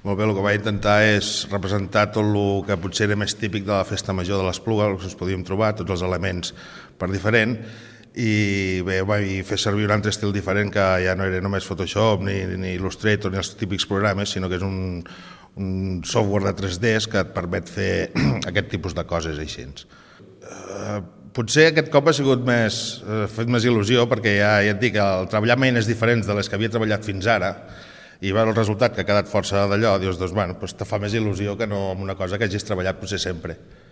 Molt bé, el que vaig intentar és representar tot el que potser era més típic de la festa major de l'Espluga, el que us podíem trobar, tots els elements per diferent, i bé, vaig fer servir un altre estil diferent que ja no era només Photoshop ni Illustrator ni els típics programes, sinó que és un software de 3D que et permet fer aquest tipus de coses així. Potser aquest cop ha sigut fet més il·lusió perquè ja et dic, el treballar amb eines diferents de les que havia treballat fins ara i veure el resultat que ha quedat força d'allò, dius, doncs, bueno, te fa més il·lusió que no amb una cosa que hagis treballat potser sempre.